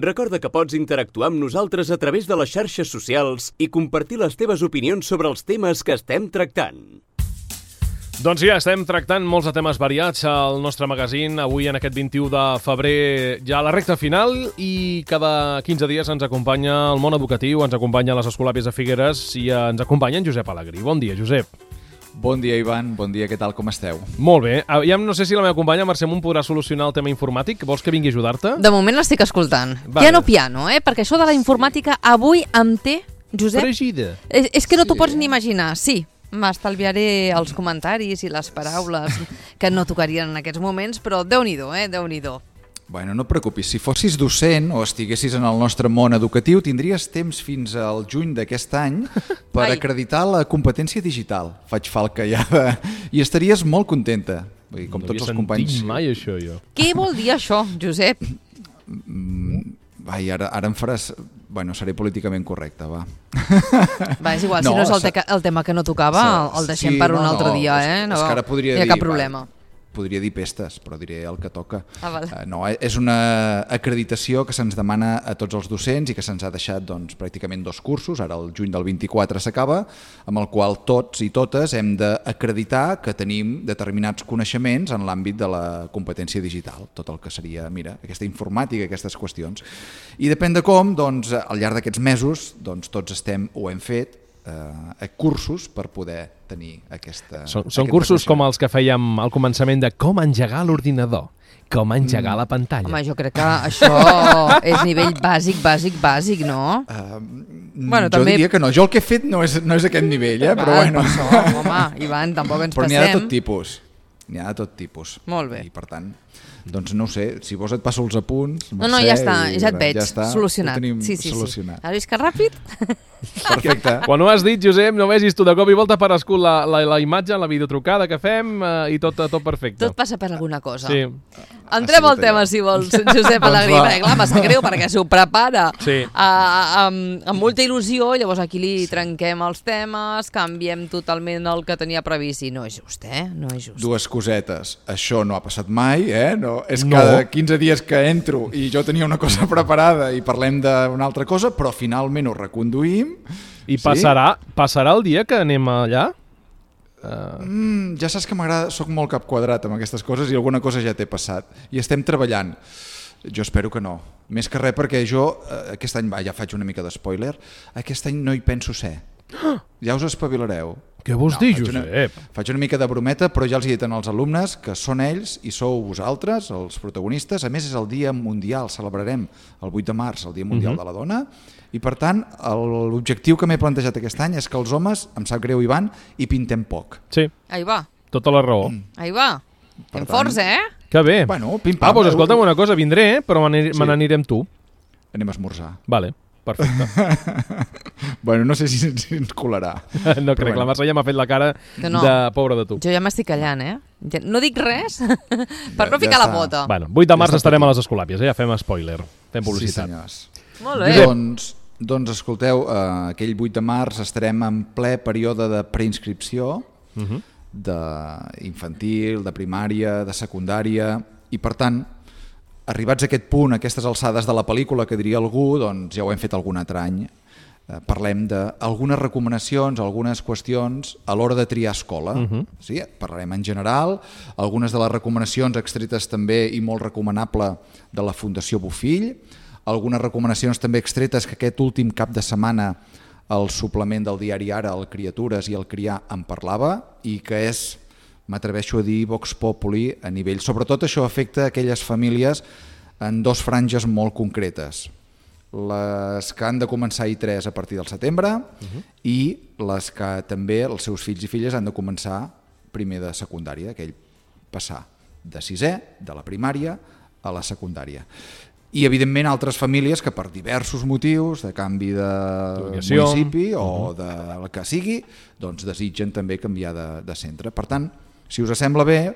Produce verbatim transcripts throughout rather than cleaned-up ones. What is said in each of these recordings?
Recorda que pots interactuar amb nosaltres a través de les xarxes socials i compartir les teves opinions sobre els temes que estem tractant. Doncs ja estem tractant molts de temes variats al nostre magazín. Avui, en aquest vint-i-u de febrer, ja a la recta final, i cada quinze dies ens acompanya el món educatiu, ens acompanya les Escolàpies de Figueres i ens acompanya en Josep Alegrí. Bon dia, Josep. Bon dia, Ivan. Bon dia, què tal, com esteu? Molt bé. Ja no sé si la meva companya Mercè Munt podrà solucionar el tema informàtic. Vols que vingui a ajudar-te? De moment l'estic escoltant. Vale. Piano, piano, eh? Perquè això de la informàtica avui em té, Josep... Fregida. És, és que no t'ho Sí. pots ni imaginar, sí. M'estalviaré els comentaris i les paraules que no tocarien en aquests moments, però Déu-n'hi-do, eh? Déu-n'hi-do. Bueno, no et preocupis, si fossis docent o estiguessis en el nostre món educatiu, tindries temps fins al juny d'aquest any per Ai. acreditar la competència digital. Faig falca ja de... I estaries molt contenta. Vull dir, com No tots havia els companys... sentit mai això, jo. Què vol dir això, Josep? Ai, ara, ara em faràs... Bueno, seré políticament correcte, va. Va, és igual, No, si no és el, se- teca, el tema que no tocava, se- el deixem sí, per un no, altre no, dia, és- eh? No, és que ara podria no hi ha dir, cap va, problema. Podria dir pestes, però diré el que toca. Ah, vale. Uh, no, és una acreditació que se'ns demana a tots els docents i que se'ns ha deixat doncs, pràcticament dos cursos, ara el juny del vint-i-quatre s'acaba, amb el qual tots i totes hem d'acreditar que tenim determinats coneixements en l'àmbit de la competència digital, tot el que seria, mira, aquesta informàtica, aquestes qüestions. I depèn de com, doncs, al llarg d'aquests mesos, doncs, tots estem, ho hem fet, eh, cursos per poder tenir aquesta... Són, són cursos com els que fèiem al començament de com engegar l'ordinador, com engegar mm. la pantalla. Home, jo crec que això és nivell bàsic, bàsic, bàsic, no? Uh, Bueno, jo també- diria que no, jo el que he fet no és, no és aquest nivell, eh? però Val, bueno. per això, home, Ivan, tampoc ens Però n'hi ha de passem. tot tipus. N'hi ha de tot tipus. Molt bé. I per tant, doncs no ho sé, si vols et passo els apunts, No, no, Mercè, ja està, i ja et veig, ja està, solucionat. Ho tenim Sí, sí, solucionat. sí. Has vist que ràpid? Perfecte. Quan ho has dit, Josep, no vegis tu de cop i volta per escut la, la, la imatge, la videotrucada que fem eh, i tot, tot perfecte. Tot passa per alguna cosa. Sí. Entrem Ha al sigut tema, allò. si vols, Josep Doncs Alegrí, va. perquè clar, m'ha sap greu perquè s'ho prepara Sí. a, amb, amb molta il·lusió, i llavors aquí li trenquem els temes, canviem totalment el que tenia previst, i no és just, eh? No és just. Dues cosetes. Això no ha passat mai, eh? No, és No. cada quinze dies que entro i jo tenia una cosa preparada i parlem d'una altra cosa, però finalment ho reconduïm. I passarà, passarà el dia que anem allà? Mm, ja saps que m'agrada, soc molt cap quadrat amb aquestes coses i alguna cosa ja t'he passat. I estem treballant. Jo espero que no. Més que res perquè jo, eh, aquest any, va, ja faig una mica de spoiler, aquest any no hi penso ser. Ja us espavilareu. Què vols No, dir, faig una- Josep? Faig una mica de brometa, però ja els he dit als alumnes que són ells i sou vosaltres, els protagonistes. A més, és el Dia Mundial, celebrarem el vuit de març, el Dia Mundial Mhm. de la Dona, i per tant, el- l'objectiu que m'he plantejat aquest any és que els homes, em sap greu, Ivan, hi pintem poc. Sí, Ahí va, tota la raó. ahí va. Per Fem tant- forts, eh? Que bé. Bueno, pim-pam. Ah, doncs escolta'm una cosa, vindré, eh, però me Sí. n'aniré amb tu. Anem a esmorzar. Vale, perfecte. Bueno, no sé si, si ens colarà. No crec, bueno. la Mercè ja m'ha fet la cara Que no. de pobre de tu. Jo ja m'estic callant, eh? Ja- No dic res per Ja- no ja ficar la està. pota. Bueno, vuit de març Ja està estarem tot a les Escolàpies, eh? Ja fem spoiler, fem publicitat. Sí, senyors. Molt bé. Doncs, doncs escolteu, eh, aquell vuit de març estarem en ple període de preinscripció, Uh -huh. d'infantil, de primària, de secundària, i per tant, arribats a aquest punt, a aquestes alçades de la pel·lícula, que diria algú, doncs ja ho hem fet algun altre any, eh, parlem d'algunes recomanacions, algunes qüestions a l'hora de triar escola. Mhm. Sí, parlarem en general, algunes de les recomanacions extretes també i molt recomanable de la Fundació Bofill, algunes recomanacions també extretes que aquest últim cap de setmana el suplement del diari Ara, el Criatures i el Criar en parlava, i que és, m'atreveixo a dir, Vox Populi a nivell... Sobretot això afecta aquelles famílies en dos franges molt concretes. Les que han de començar I tres a partir del setembre uh-huh. i les que també els seus fills i filles han de començar primer de secundària, aquell passar de sisè, de la primària, a la secundària. I, evidentment, altres famílies que per diversos motius, de canvi de D'ubicació. municipi o del que sigui, doncs desitgen també canviar de, de centre. Per tant, si us sembla bé,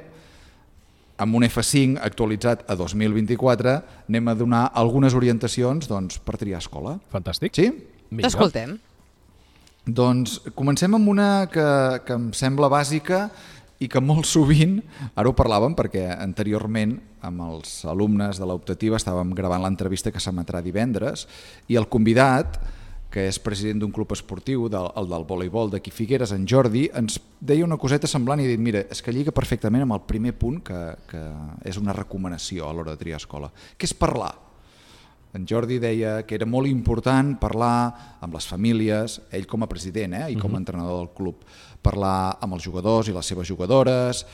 amb un F cinc actualitzat a dos mil vint-i-quatre anem a donar algunes orientacions doncs, per triar escola. Fantàstic. Sí? Vinga. T'escoltem. Doncs comencem amb una que, que em sembla bàsica i que molt sovint, ara ho parlàvem perquè anteriorment amb els alumnes de l'optativa estàvem gravant l'entrevista que s'emetrà divendres i el convidat, que és president d'un club esportiu, del, el del voleibol d'aquí Figueres, en Jordi, ens deia una coseta semblant i dit, mira, és que lliga perfectament amb el primer punt que, que és una recomanació a l'hora de triar escola, que és parlar. En Jordi deia que era molt important parlar amb les famílies, ell com a president eh, i com a entrenador del club, parlar amb els jugadors i les seves jugadores,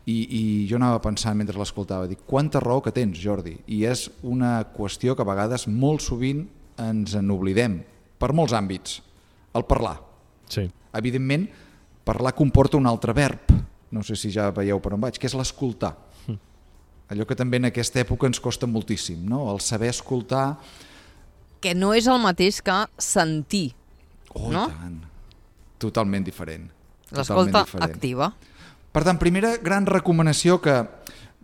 i, i jo anava pensant mentre l'escoltava, dic, quanta raó que tens, Jordi, i és una qüestió que a vegades molt sovint ens en oblidem, per molts àmbits, el parlar. Sí. Evidentment, parlar comporta un altre verb, no sé si ja veieu per on vaig, que és l'escoltar. Allò que també en aquesta època ens costa moltíssim, no? El saber escoltar... Que no és el mateix que sentir, oh, no? Oh, i tant. Totalment diferent. L'escolta diferent. activa. Per tant, primera gran recomanació que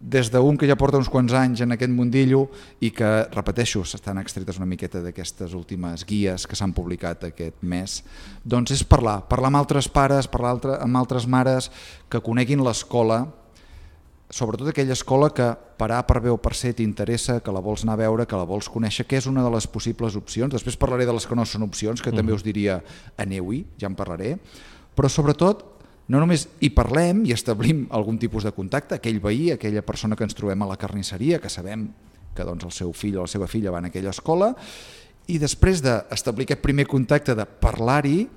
des d'un que ja porta uns quants anys en aquest mundillo i que, repeteixo, s'estan extretes una miqueta d'aquestes últimes guies que s'han publicat aquest mes, doncs és parlar, parlar amb altres pares, parlar altre, amb altres mares que coneguin l'escola, sobretot aquella escola que per A, per B o per C t'interessa, que la vols anar a veure, que la vols conèixer, que és una de les possibles opcions. Després parlaré de les que no són opcions, que mm. també us diria aneu-hi, ja en parlaré, però sobretot no només hi parlem i establim algun tipus de contacte, aquell veí, aquella persona que ens trobem a la carnisseria, que sabem que doncs, el seu fill o la seva filla va en aquella escola, i després d'establir aquest primer contacte de parlar-hi,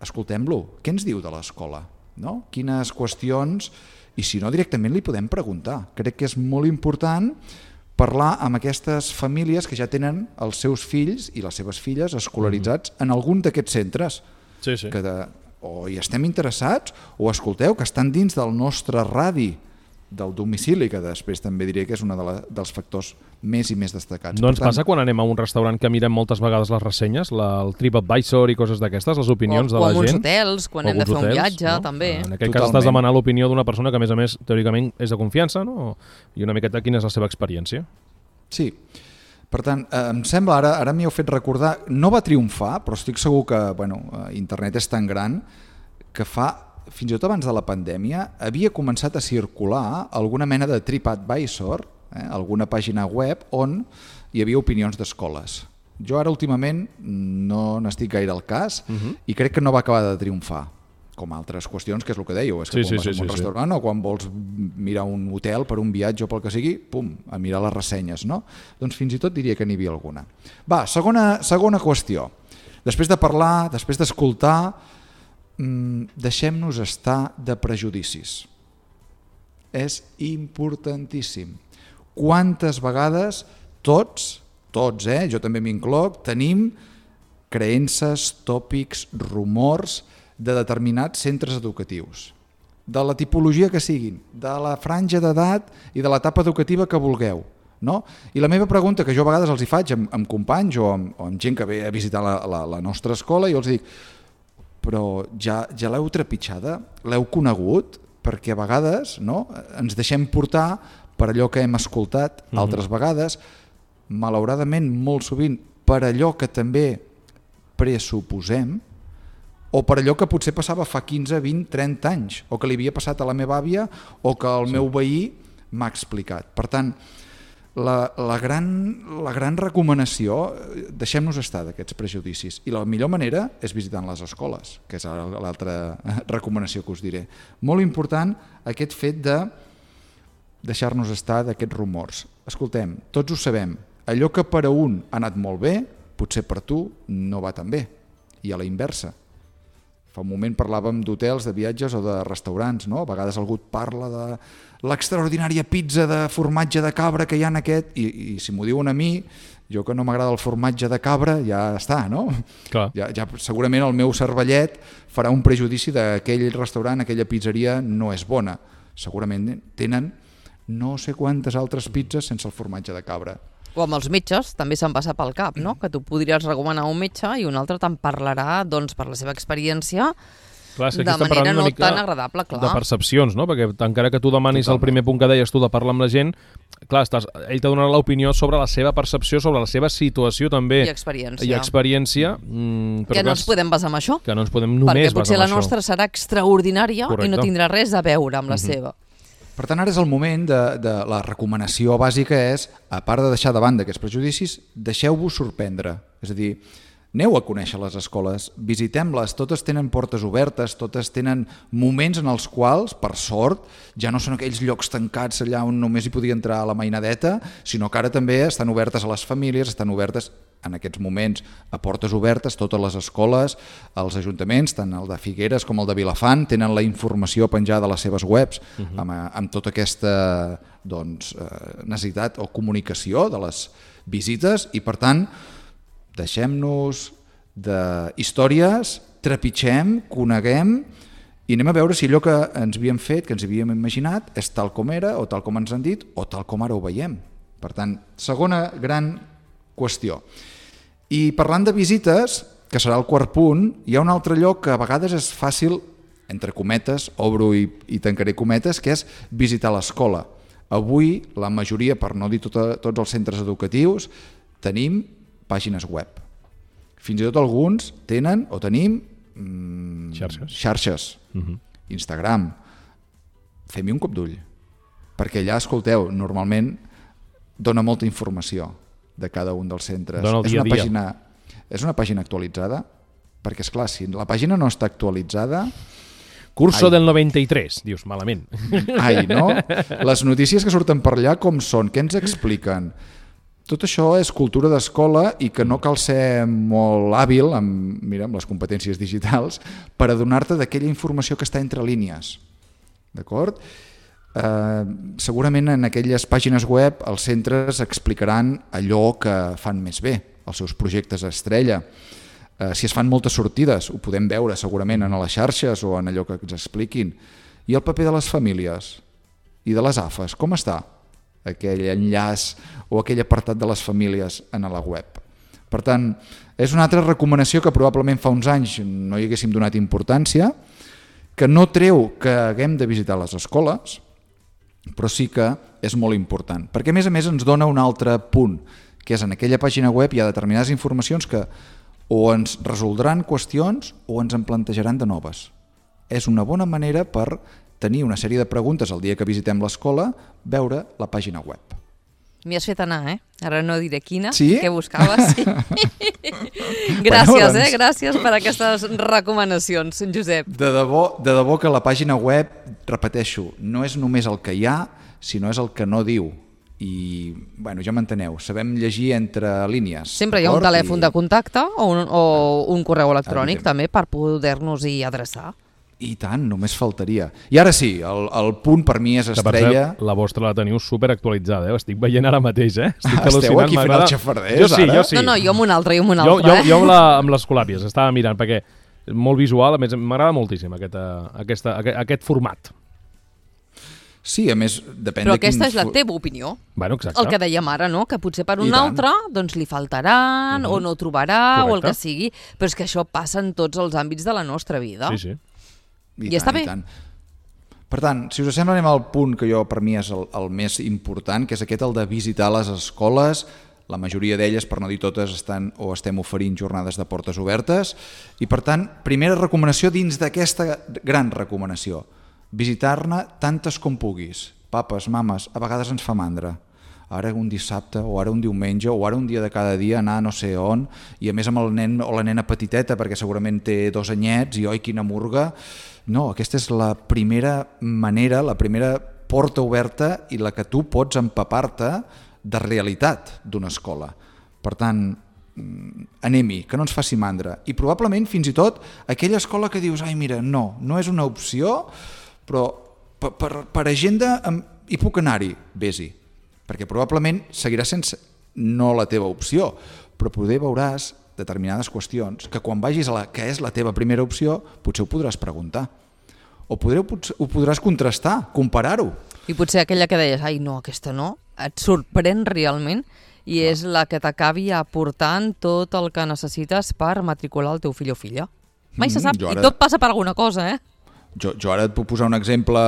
escoltem-lo, què ens diu de l'escola? No? Quines qüestions... I si no, directament li podem preguntar. Crec que és molt important parlar amb aquestes famílies que ja tenen els seus fills i les seves filles escolaritzats mm. en algun d'aquests centres. Sí, sí. Que de, o hi estem interessats o escolteu que estan dins del nostre radi del domicili, que després també diré que és un de la, dels factors més i més destacats. No ens tant, passa quan anem a un restaurant que mirem moltes vegades les ressenyes, la, el TripAdvisor i coses d'aquestes, les opinions o, de la gent? O amb uns hotels, quan hem de fer hotels, un viatge, no? També. En aquest Totalment. Cas estàs demanant l'opinió d'una persona que, a més a més, teòricament és de confiança, no? I una miqueta quina és la seva experiència. Sí. Per tant, eh, em sembla, ara, ara m'hi heu fet recordar, no va triomfar, però estic segur que bueno, internet és tan gran que fa... fins i tot abans de la pandèmia, havia començat a circular alguna mena de TripAdvisor, eh, alguna pàgina web on hi havia opinions d'escoles. Jo ara últimament no n'estic gaire al cas uh-huh. i crec que no va acabar de triomfar, com altres qüestions, que és el que dèieu, és que sí, quan sí, vas sí, a un sí, restaurant sí. o quan vols mirar un hotel per un viatge o pel que sigui, pum, a mirar les ressenyes, no? Doncs fins i tot diria que n'hi havia alguna. Va, segona, segona qüestió. Després de parlar, després d'escoltar, deixem-nos estar de prejudicis. És importantíssim. Quantes vegades tots, tots, eh, jo també m'incloc, tenim creences, tòpics, rumors de determinats centres educatius, de la tipologia que siguin, de la franja d'edat i de l'etapa educativa que vulgueu. No? I la meva pregunta, que jo a vegades els hi faig amb, amb companys o amb, o amb gent que ve a visitar la, la, la nostra escola, i els dic, però ja, ja l'heu trepitjada, l'heu conegut, perquè a vegades no, ens deixem portar per allò que hem escoltat mm-hmm. altres vegades, malauradament molt sovint per allò que també pressuposem o per allò que potser passava fa quinze, vint, trenta anys o que li havia passat a la meva àvia o que el sí. meu veí m'ha explicat. Per tant, La, la, gran, la gran recomanació, deixem-nos estar d'aquests prejudicis, i la millor manera és visitant les escoles, que és l'altra recomanació que us diré. Molt important aquest fet de deixar-nos estar d'aquests rumors. Escoltem, tots ho sabem, allò que per a un ha anat molt bé, potser per tu no va tan bé, i a la inversa. Fa un moment parlàvem d'hotels, de viatges o de restaurants, no? A vegades algú et parla de l'extraordinària pizza de formatge de cabra que hi ha en aquest, i, i si m'ho diuen a mi, jo que no m'agrada el formatge de cabra, ja està, no? Clar. Ja, ja segurament el meu cervellet farà un prejudici d'aquell restaurant, aquella pizzeria no és bona. Segurament tenen no sé quantes altres pizzas sense el formatge de cabra. O amb els metges, també se'n passa pel cap, no? Que tu podries recomanar un metge i un altre te'n parlarà, doncs, per la seva experiència, Clar, és que de aquí estem manera parlant no una mica tan agradable, clar. de percepcions, no? Perquè encara que tu demanis Totalment. el primer punt que deies tu de parlar amb la gent, clar, estàs, ell t'ha donat l'opinió sobre la seva percepció, sobre la seva situació també. I experiència. I experiència. Mm, però que no clar, ens podem basar en això. Que no ens podem només perquè basar potser en la això. nostra serà extraordinària Correcte. i no tindrà res a veure amb la Mhm. seva. Per tant, ara és el moment de, de la recomanació bàsica és, a part de deixar de banda aquests prejudicis, deixeu-vos sorprendre. És a dir, aneu a conèixer les escoles, visitem-les, totes tenen portes obertes, totes tenen moments en els quals, per sort, ja no són aquells llocs tancats allà on només hi podia entrar la mainadeta, sinó que ara també estan obertes a les famílies, estan obertes en aquests moments a portes obertes, totes les escoles, els ajuntaments, tant el de Figueres com el de Vilafant, tenen la informació penjada a les seves webs uh-huh. amb, amb tota aquesta doncs, necessitat o comunicació de les visites i, per tant, deixem-nos d'històries, trepitgem, coneguem i anem a veure si allò que ens havíem fet, que ens havíem imaginat, és tal com era o tal com ens han dit o tal com ara ho veiem. Per tant, segona gran qüestió. I parlant de visites, que serà el quart punt, hi ha un altre lloc que a vegades és fàcil, entre cometes, obro i, i tancaré cometes, que és visitar l'escola. Avui, la majoria, per no dir tota, tots els centres educatius, tenim pàgines web. Fins i tot alguns tenen o tenim mmm, xarxes, xarxes. Uh-huh. Instagram. Fem-hi un cop d'ull. Perquè allà, escolteu, normalment dona molta informació de cada un dels centres. Dona el és dia una a dia. pàgina, és una pàgina actualitzada? Perquè, esclar, si la pàgina no està actualitzada... Curso Ai. del noventa i tres, dius, malament. Ai, no? Les notícies que surten per allà com són? Què ens expliquen? Tot això és cultura d'escola i que no cal ser molt hàbil amb, mira, amb les competències digitals per adonar-te d'aquella informació que està entre línies. D'acord? Eh, segurament en aquelles pàgines web els centres explicaran allò que fan més bé, els seus projectes estrella. Eh, si es fan moltes sortides, ho podem veure segurament en les xarxes o en allò que ens expliquin. I el paper de les famílies i de les A F Es, com està? Aquell enllaç o aquell apartat de les famílies en la web. Per tant, és una altra recomanació que probablement fa uns anys no hi haguéssim donat importància, que no treu que haguem de visitar les escoles, però sí que és molt important, perquè a més a més ens dona un altre punt, que és en aquella pàgina web hi ha determinades informacions que o ens resoldran qüestions o ens en plantejaran de noves. És una bona manera per tenir una sèrie de preguntes el dia que visitem l'escola, veure la pàgina web. M'hi has fet anar, eh? Ara no diré quina, Sí? que buscaves. Sí. Gràcies, Bueno, doncs. eh? Gràcies per aquestes recomanacions, Josep. De debò, de debò que la pàgina web, repeteixo, no és només el que hi ha, sinó és el que no diu. I, bueno, ja m'enteneu, sabem llegir entre línies. Sempre hi ha un d'acord? telèfon I... de contacte o un, o un correu electrònic Evident. també per poder-nos-hi adreçar. I tant, només faltaria. I ara sí, el, el punt per mi és Que per estrella... cert, la vostra la teniu super actualitzada, eh? Ho estic veient ara mateix, eh? Estic Esteu al·lucinant, aquí fent m'agrada. el xafarders, Jo sí, ara? jo sí. No, no, jo amb un altre, jo amb un Jo, altre. jo, eh? jo amb, la, amb les colàpies estava mirant, perquè és molt visual, a més m'agrada moltíssim aquest, aquesta, aquest, aquest format. Sí, a més, depèn Però de quin... aquesta és la fo- teva opinió. Bueno, exacte. El que dèiem ara, no? Que potser per I un tant. altre doncs li faltaran, Mhm. o no trobarà, o el Correcte. que sigui. Però és que això passa en tots els àmbits de la nostra vida. Sí, sí. I, I està tant, bé. I tant. Per tant, si us sembla, anem al punt que jo per mi és el, el més important, que és aquest, el de visitar les escoles. La majoria d'elles, per no dir totes, estan o estem oferint jornades de portes obertes. I per tant, primera recomanació dins d'aquesta gran recomanació, visitar-ne tantes com puguis. Papes, mames, a vegades ens fa mandra. Ara un dissabte, o ara un diumenge, o ara un dia de cada dia anar no sé on, i a més amb el nen o la nena petiteta, perquè segurament té dos anyets, i oi, quina murga. No, aquesta és la primera manera, la primera porta oberta i la que tu pots empapar-te de realitat d'una escola. Per tant, anem-hi, que no ens faci mandra. I probablement, fins i tot, aquella escola que dius, ai, mira, no, no és una opció, però per, per, per agenda hi puc anar-hi, vés-hi. Perquè probablement seguirà sense no la teva opció, però poder veuràs determinades qüestions que quan vagis a la que és la teva primera opció potser ho podràs preguntar o podreu, ho podràs contrastar, comparar-ho. I potser aquella que deies, ai no, aquesta no, et sorprèn realment i és la que t'acabi aportant tot el que necessites per matricular el teu fill o filla. Mai se sap, Mm, jo ara- i tot passa per alguna cosa, eh? Jo, jo ara et puc posar un exemple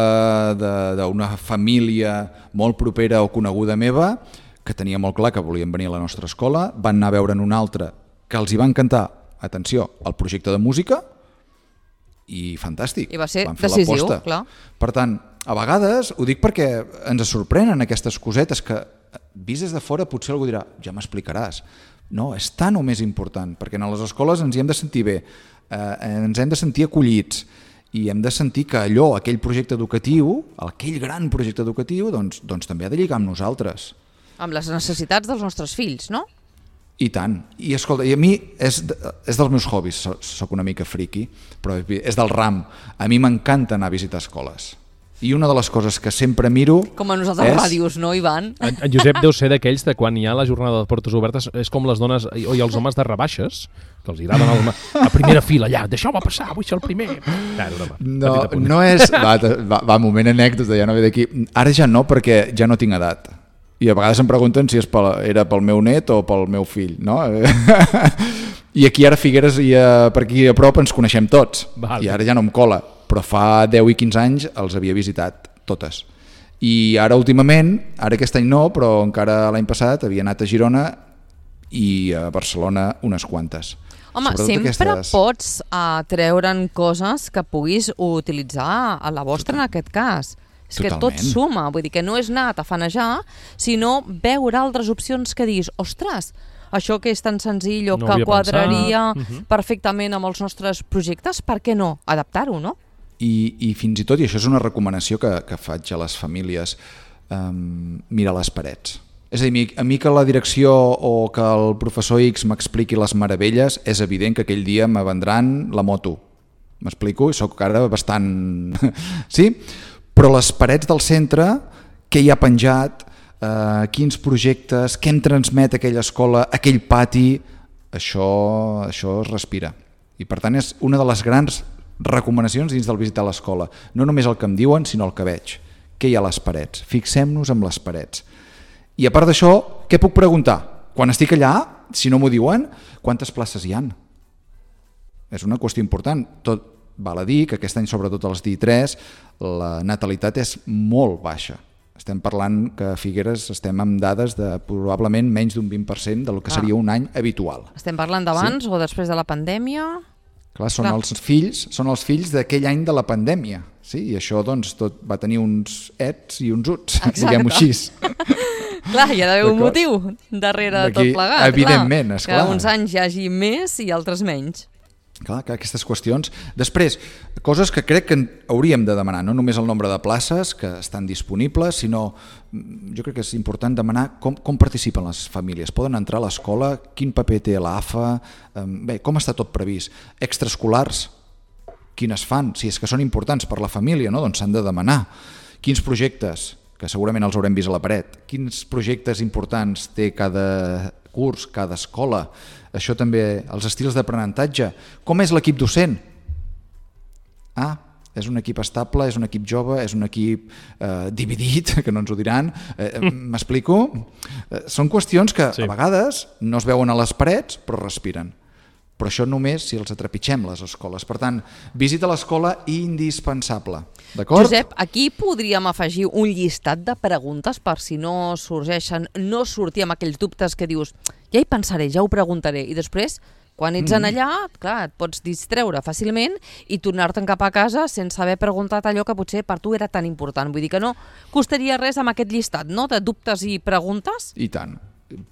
de- d'una família molt propera o coneguda meva que tenia molt clar que volien venir a la nostra escola, van anar a veure en una altra que els hi va encantar, atenció, el projecte de música, i fantàstic. I va ser van fer decisiu, l'aposta. clar. Per tant, a vegades, ho dic perquè ens sorprenen aquestes cosetes que, vist des de fora, potser algú dirà, ja m'explicaràs. No, és tan o més important, perquè en les escoles ens hi hem de sentir bé, eh, ens hem de sentir acollits, i hem de sentir que allò, aquell projecte educatiu, aquell gran projecte educatiu, doncs, doncs també ha de lligar amb nosaltres. Amb les necessitats dels nostres fills, no? I tant. I escolta, i a mi és, és dels meus hobbies, so- soc una mica friqui, però és del ram. A mi m'encanta anar a visitar escoles. I una de les coses que sempre miro... Com a nosaltres és... ràdios, no, Ivan? En, en Josep deu ser d'aquells de quan hi ha la jornada de portes obertes, és com les dones o i els homes de rebaixes, que els agraden el, a primera fila, allà, deixeu-me passar, vull ser el primer. Ja, era una No, petita punt. no és... Va, va, va, moment anècdota, ja no ve d'aquí. Ara ja no, perquè ja no tinc edat. I a vegades em pregunten si és pel, era pel meu net o pel meu fill, no? I aquí ara a Figueres i a, per aquí a prop ens coneixem tots. Val. I ara ja no em cola, però fa deu i quinze anys els havia visitat totes. I ara últimament, ara aquest any no, però encara l'any passat havia anat a Girona i a Barcelona unes quantes. Home, Sobretot sempre aquestes- pots uh, treure'n coses que puguis utilitzar a la vostra en aquest cas. És que tot Totalment. suma, vull dir que no és anar a tafanejar, sinó veure altres opcions que diguis, ostres, això que és tan senzill o No que havia quadraria pensat. Mhm. perfectament amb els nostres projectes, per què no? Adaptar-ho, no? I, i fins i tot, i això és una recomanació que, que faig a les famílies, um, mirar les parets. És a dir, a mi- a mi que la direcció o que el professor X m'expliqui les meravelles, és evident que aquell dia me vendran la moto. M'explico? Soc ara bastant... sí? Però les parets del centre, què hi ha penjat, eh, quins projectes, què em transmet aquella escola, aquell pati, això, això es respira. I per tant és una de les grans recomanacions dins del visitar l'escola. No només el que em diuen, sinó el que veig. Què hi ha a les parets? Fixem-nos en les parets. I a part d'això, què puc preguntar? Quan estic allà, si no m'ho diuen, quantes places hi han? És una qüestió important. Tot val a dir que aquest any, sobretot als D I tres, la natalitat és molt baixa. Estem parlant que a Figueres estem amb dades de probablement menys d'un vint per cent del que Ah. seria un any habitual. Estem parlant d'abans sí? o després de la pandèmia? Clar, són Clar. els fills, són els fills d'aquell any de la pandèmia, sí? I això doncs tot va tenir uns ets i uns uts, Exacte. diguem-ho així. Clar, hi ha d'haver un D'acord. motiu darrere de tot D'aquí, plegat. evidentment, clar, esclar. Que uns anys hi hagi més i altres menys. Clar, que aquestes qüestions. Després, coses que crec que hauríem de demanar, no només el nombre de places que estan disponibles, sinó mm, jo crec que és important demanar com, com participen les famílies. Poden entrar a l'escola? Quin paper té l'A F A? Bé, com està tot previst? Extraescolars? Quines fan? Si és que són importants per la família, no? Doncs s'han de demanar. Quins projectes? Que segurament els haurem vist a la paret. Quins projectes importants té cada curs, cada escola? Això també, els estils d'aprenentatge. Com és l'equip docent? Ah, és un equip estable, és un equip jove, és un equip eh, dividit, que no ens ho diran. Eh, M'explico? Eh, són qüestions que Sí. a vegades no es veuen a les parets, però respiren. Però això només si els atrepitgem, les escoles. Per tant, visita l'escola indispensable. D'acord? Josep, aquí podríem afegir un llistat de preguntes per si no sorgeixen, no sortir amb aquells dubtes que dius ja hi pensaré, ja ho preguntaré, i després quan ets en allà, clar, et pots distreure fàcilment i tornar-te'n cap a casa sense haver preguntat allò que potser per tu era tan important. Vull dir que no costaria res amb aquest llistat, no?, de dubtes i preguntes. I tant.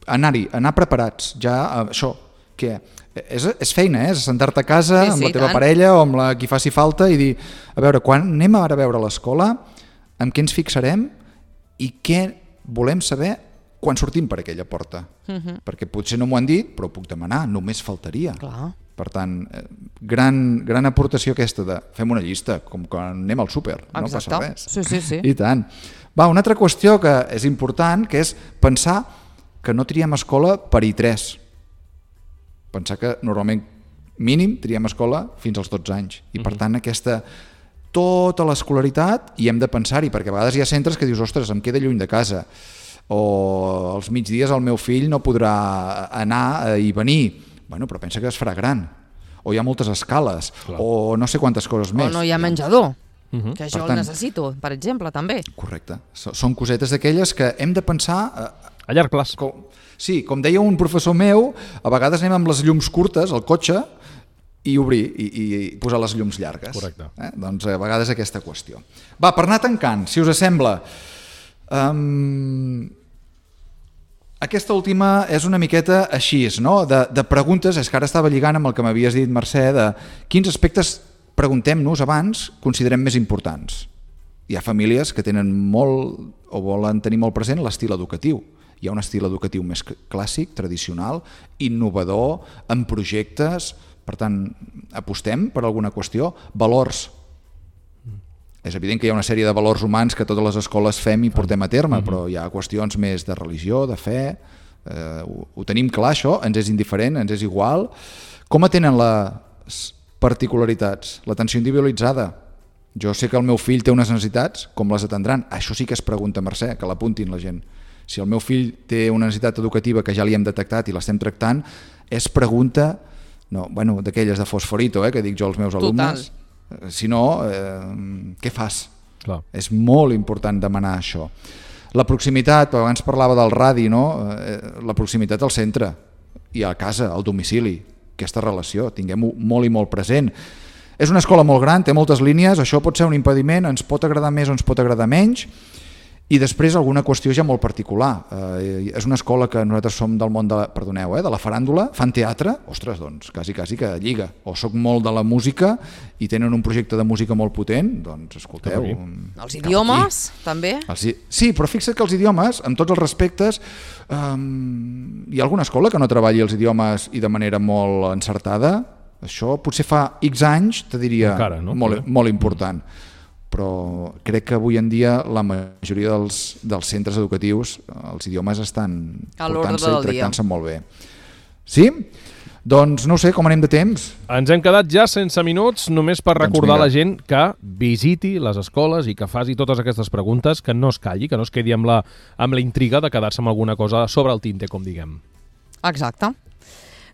Anar-hi, anar preparats. Ja, això, que és, és feina, eh? És sentar-te a casa Sí, amb sí, la teva tant. parella o amb la qui faci falta i dir, a veure, quan anem ara a veure l'escola, amb què ens fixarem i què volem saber quan sortim per aquella porta. Uh-huh. Perquè potser no m'ho han dit, però ho puc demanar, només faltaria. Clar. Per tant, eh, gran, gran aportació aquesta de fem una llista, com quan anem al súper, no Exacte. passa res. Sí, sí, sí. I tant. Va, una altra qüestió que és important, que és pensar que no triem escola per I tres. Pensar que normalment mínim triem escola fins als dotze anys. I per tant aquesta tota l'escolaritat hi hem de pensar-hi, perquè a vegades hi ha centres que dius, ostres, em queda lluny de casa, o als migdies el meu fill no podrà anar i venir. Bueno, però pensa que es farà gran. o hi ha moltes escales, Clar. o no sé quantes coses més. O no hi ha menjador, Uh -huh. que això Per el tant- necessito, per exemple, també. Correcte. So- Són cosetes d'aquelles que hem de pensar... Eh, A llarg plaç. com, sí, com deia un professor meu, a vegades anem amb les llums curtes al cotxe i obrir i, i posar les llums llargues. Correcte. Eh? Doncs a vegades aquesta qüestió. Va, per anar tancant, si us sembla... Um, aquesta última és una miqueta així, no? de, de preguntes, és que ara estava lligant amb el que m'havies dit, Mercè, de quins aspectes, preguntem-nos abans, considerem més importants. Hi ha famílies que tenen molt o volen tenir molt present l'estil educatiu. Hi ha un estil educatiu més clàssic, tradicional, innovador, amb projectes, per tant, apostem per alguna qüestió. Valors. És evident que hi ha una sèrie de valors humans que totes les escoles fem i portem a terme, però hi ha qüestions més de religió, de fe, eh, ho, ho tenim clar això, ens és indiferent, ens és igual. Com atenen les particularitats, l'atenció individualitzada? Jo sé que el meu fill té unes necessitats, com les atendran? Això sí que es pregunta, Mercè, que l'apuntin la gent. Si el meu fill té una necessitat educativa que ja li hem detectat i l'estem tractant, és pregunta, no, bueno, d'aquelles de fosforito, eh, que dic jo als meus alumnes. Total. Si no, eh, què fas? Clar. És molt important demanar això. La proximitat, abans parlava del radi, no? Eh, la proximitat al centre i a casa, al domicili, aquesta relació, tinguem-ho molt i molt present. És una escola molt gran, té moltes línies, això pot ser un impediment, ens pot agradar més o ens pot agradar menys, i després alguna qüestió ja molt particular. Eh, és una escola que nosaltres som del món de, perdoneu, eh, de la faràndula, fan teatre, ostres, doncs, quasi, quasi que lliga. O soc molt de la música i tenen un projecte de música molt potent, doncs, escolteu... Els idiomes, també. Els, sí, però fixa't que els idiomes, amb tots els respectes, um, hi ha alguna escola que no treballi els idiomes i de manera molt encertada? Això potser fa X anys, te diria, Encara, no? molt, molt important. Però crec que avui en dia la majoria dels, dels centres educatius, els idiomes estan A l'ordre portant-se i del dia. tractant-se molt bé. Sí? Doncs no ho sé, com anem de temps? Ens hem quedat ja sense minuts, només per Doncs recordar a vinga. la gent que visiti les escoles i que faci totes aquestes preguntes, que no es calli, que no es quedi amb la, amb la intriga de quedar-se amb alguna cosa sobre el tinte, com diguem. Exacte.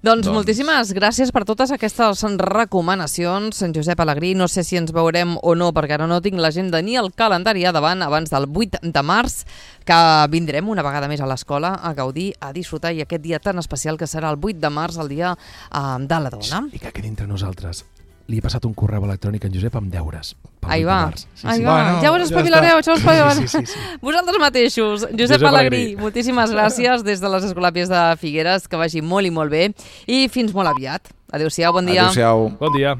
Doncs, Doncs- moltíssimes gràcies per totes aquestes recomanacions, en Josep Alegrí. No sé si ens veurem o no, perquè ara no tinc l'agenda ni el calendari a davant abans del vuit de març, que vindrem una vegada més a l'escola a gaudir, a disfrutar, i aquest dia tan especial que serà el vuit de març, el dia eh, de la dona. I que quedi entre nosaltres. Li he passat un correu electrònic a en Josep amb deures. pel Ahí vuit de va, març. Sí, ahí sí. va. Bueno, Ja us ja espavilareu, està. ja us espavilareu. Sí, sí, sí, sí. Vosaltres mateixos. Josep, Josep Alegrí, Alegrí. moltíssimes gràcies des de les Escolàpies de Figueres, que vagi molt i molt bé, i fins molt aviat. Adéu-siau, bon dia. Adéu-siau. Bon dia.